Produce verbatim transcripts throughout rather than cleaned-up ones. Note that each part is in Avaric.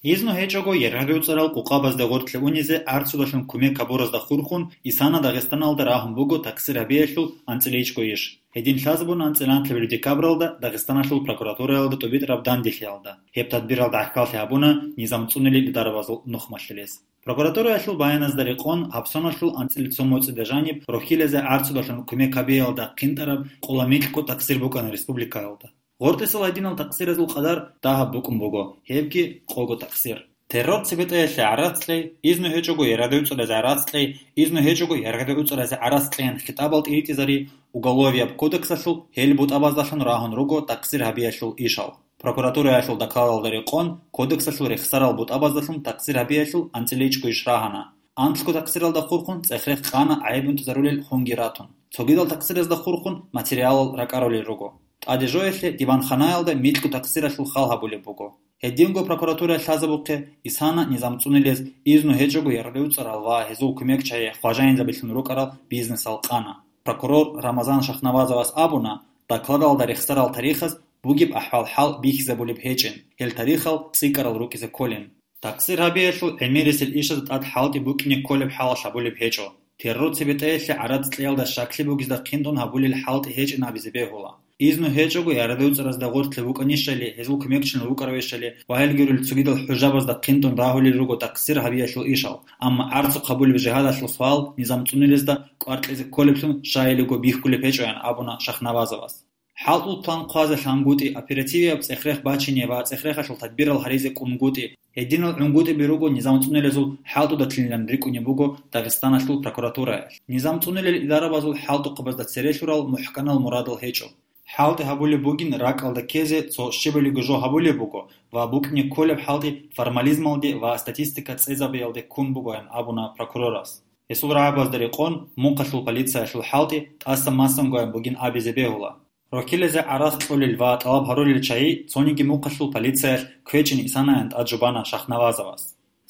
Изну гьечӀого яргъадуцӀарал къукъабазда гъоркье унизе арцудалъун кумек гьабуразда хурхун, Исана Дагъистаналда рагьун буго такъсир гьабиялъул анцӀила ичӀго иш. Гьедин лъазабун анцӀила анлъабилеб декабралда Дагъистаналъул прокуратураялда тӀубитӀараб данделъиялда. Гьеб тадбиралда гӀахьаллъи гьабуна низам цӀунулел идарабазул нухмалъулез. Прокуратураялъул баяназда рекъон, гьаб соналъул анцӀила цо моцӀида жаниб рохьилазе арцудалъун кумек гьабиялда хъинтӀараб къола микьго такъсир букӀана республикаялда. Гъоркьисал гьединал такъсиразул къадар дагьаб букӀун буго, гьебги къого такъсир. Террор цебетӀаялъе гӀарац кьей, изну гьечӀого яргъадуцӀаразе гӀарац кьей, изну гьечӀого яргъадуцӀаразе гӀарац кьейин хитӀабал тӀиритӀизари Уголовияб кодексалъул гьел бутӀабаздалъун рагьун руго такъсир гьабиялъул ишал. Прокуратураялъул докладалда рекъон, кодексалъул рехсарал бутӀабаздалъун такъсир гьабиялъул анцӀила ичӀго иш рагьана. Анлъго такъсиралда хурхун цӀех-рех къана гӀайиб унтӀизарулел хунги ратун. Цогидал такъсиразда хурхун материалал ракӀарулел руго. ТӀаде жоялъе диванханаялда микьго такъсиралъул хал гьабулеб буго. Гьединго прокуратура лъазабухъе Исана низам цӀунилез изну гьечӀого яргъадуцӀарал ва гьезул кумекчагӀи хважаинзабилъун рукӀарал бизнесал къана. Прокурор Рамазан Шахнавазовас абуна, докладалда рехсарал тарихаз бугеб ахӀвал-хӀал бихьизабулеб гьечӀин, гьел тарихал цӀикӀкӀарал рукӀизе кколин. Такъсир гьабиялъул гӀемерисел ишазда тӀад хӀалтӀи букӀине кколеб хӀалалъ гьабулеб гьечӀо. Террор цебетӀаялъе гӀарац кьеялда щаклъи бугезда хъинтӀун гьабулел хӀалтӀи гьечӀин абизе бегьула. Изну гьечӀого яргъадуцӀаразда гъоркье вукӀанищали, гьезул кумекчилан вукӀаравищали ва гьелги гурел цогидал хӀужабазда хъинтӀун рагьулел руго такъсир гьабиялъул ишал, амма арцухъ гьабулеб жигьадалъул суал низам цӀунилезда кӀвар кьезе кколеблъун щайилего бихьулеб гьечӀоян абуна Шахнавазовас. ХӀалтӀул план хъвазе лъангутӀи, оперативияб цӀех-рех бачине ва цӀех-рехалъул тадбирал гьаризе кӀунгутӀи, гьединал гӀунгутӀиби руго низам цӀунилезул хӀалтӀуда лъилилан рикӀкӀунеб буго Дагъистаналъул прокуратураялъ. Низам цӀунилел идарабазул хӀалтӀухъабазда цере лъурал мухӀканал мурадал гьечӀо. ХӀалтӀи гьабулеб бугин ракӀалда ккезе цо щибалиго жо гьабулеб буго ва букӀине кколеб хӀалтӀи формализмалде ва статистика цӀезабиялде ккун бугоян абуна прокурорас. Гьесул рагӀабазда рекъон, мухъалъул полициялъул хӀалтӀи тӀаса-масангоян бугин абизе бегьула. Рохьилазе гӀарац кьолел ва тӀалаб гьарулел чагӀи цониги мухъалъул полициялъ квечӀин Исанаян тӀад жубана Шахнавазовас.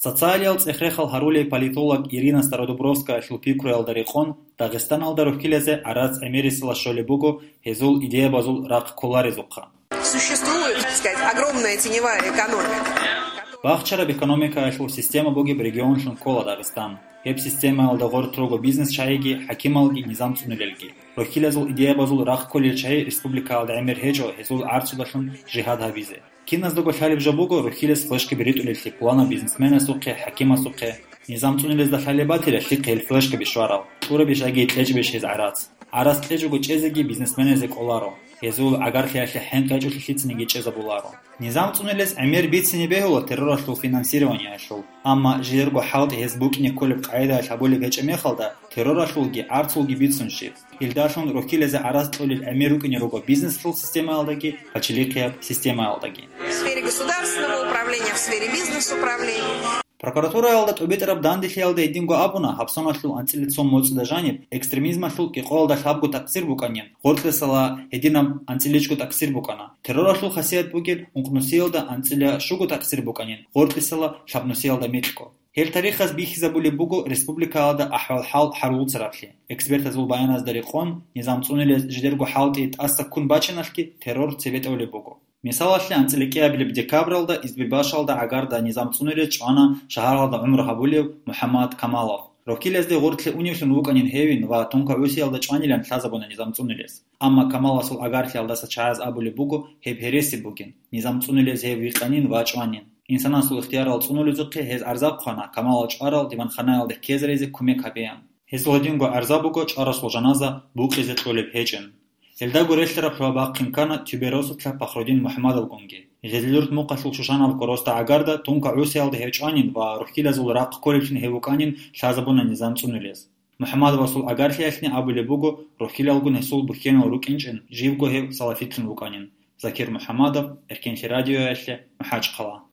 Социалиял цӀех-рехал гьарулей политолог Ирина Стародубровскаялъул пикруялда рекъон, Дагъистаналда рохьилазе гӀарац гӀемерисела щолеб буго гьезул идеябазул рахъ кколарезухъа. Существует, так сказать, огромная теневая экономика. Бахчараб экономикаялъул система бугеб регионлъун ккола Дагъистан. Гьеб системаялда гъоркь руго бизнес чагӀиги, хӀакималги, низам цӀунилелги. Рохьилазул идеябазул рахъ кколел чагӀи республикаялда гӀемер гьечӀо гьезул гӀарцудалъун жигьад гьабизе. Киназдаго лъалеб жо буго рохьилас флешкаби ритӀулеллъи пуланаб бизнесменасухъе, хӀакимасухъе. Низам цӀунилезда лъалеб батила лъикъе гьел флешкаби щварал, кьурабищ яги кьечӀебищ гьез гӀарац. ГӀарац кьечӀого чӀезеги бизнесменазе кӀоларо. Гьезул гӀагарлъиялъе хӀинкъи гьечӀолъи лъицаниги чӀезабуларо. Низам цӀунилез гӀемер бицине бегьула терроралъул финансированиялъул, амма жидерго хӀалтӀи гьез букӀине кколеб къагӀидаялъ гьабулеб гьечӀеб мехалда, терроралъулги гӀарцулги бицун щиб. Илдалъун рохьилазе гӀарац кьолел гӀемер рукӀине руго бизнесалъул системаялдаги, пачалихъияб системаялдаги. В сфере государственного управления, в сфере бизнес-управления. Прокуратураялда тӀубитӀараб данделъиялда гьединго абуна, гьабсаналъул анцӀила цо моцӀида жаниб экстремизмалъул кӀикъоялда лъабго такъсир букӀанин, гъоркьисала гьединаб анцӀиличӀго такъсир букӀана. Терроралъул хасият бугеб ункънусиялда анцӀила щуго такъсир букӀанин, гъоркьисала лъабнусиялда микьго. Гьел тарихаз бихьизабулеб буго республикаялда ахӀвал-хӀал гьарулцараблъи. Экспертазул баяназда рекъон, низам цӀунилез жидерго хӀалтӀи тӀаса ккун бачиналъги террор цебетӀолеб буго. Мисалалъе, анцӀила кӀиабилеб декабралда Избербашалда гӀагарда низам цӀунилез чӀвана шагьаралда гӀумру гьабулев МухӀаммад Камалов. Рохьилазде гъоркье уневлъун вукӀанин гьевин ва тункагӀусиялда чӀванилан лъазабуна низам цӀунилез. Амма Камаласул гӀагарлъиялдаса чагӀаз абулеб буго гьеб гьереси бугин, низам цӀунилез гьев вихъанин ва чӀванин. Инсанасул ихтиярал цӀунулезухъе гьез гӀарза хъвана Камалал чӀварал диванханаялда ккезаризе кумек гьабеян. Гьезул гьединго гӀарза буго чӀварасул жаназа букъизе кьолеб гьечӀин. Гьелдаго релълъараб лъугьа бахъин ккана Тюберосовлъа Пахрудин МухӀаммадовгунги. Гъезилурт мухъалъул Шушанаб короста гӀагарда тункагӀусиялда гьев чӀванин ва рохьилазул рахъ кколеблъун гьев вукӀанин лъазабуна низам цӀунилез. МухӀаммадовасул гӀагарлъиялъни абулеб буго, рохьилалгун гьесул бухьенал рукӀинчӀин, живго гьев салафитлъун вукӀанин. Закир МухӀаммадов, Эркенлъи радиоялъе, МахӀачхъала.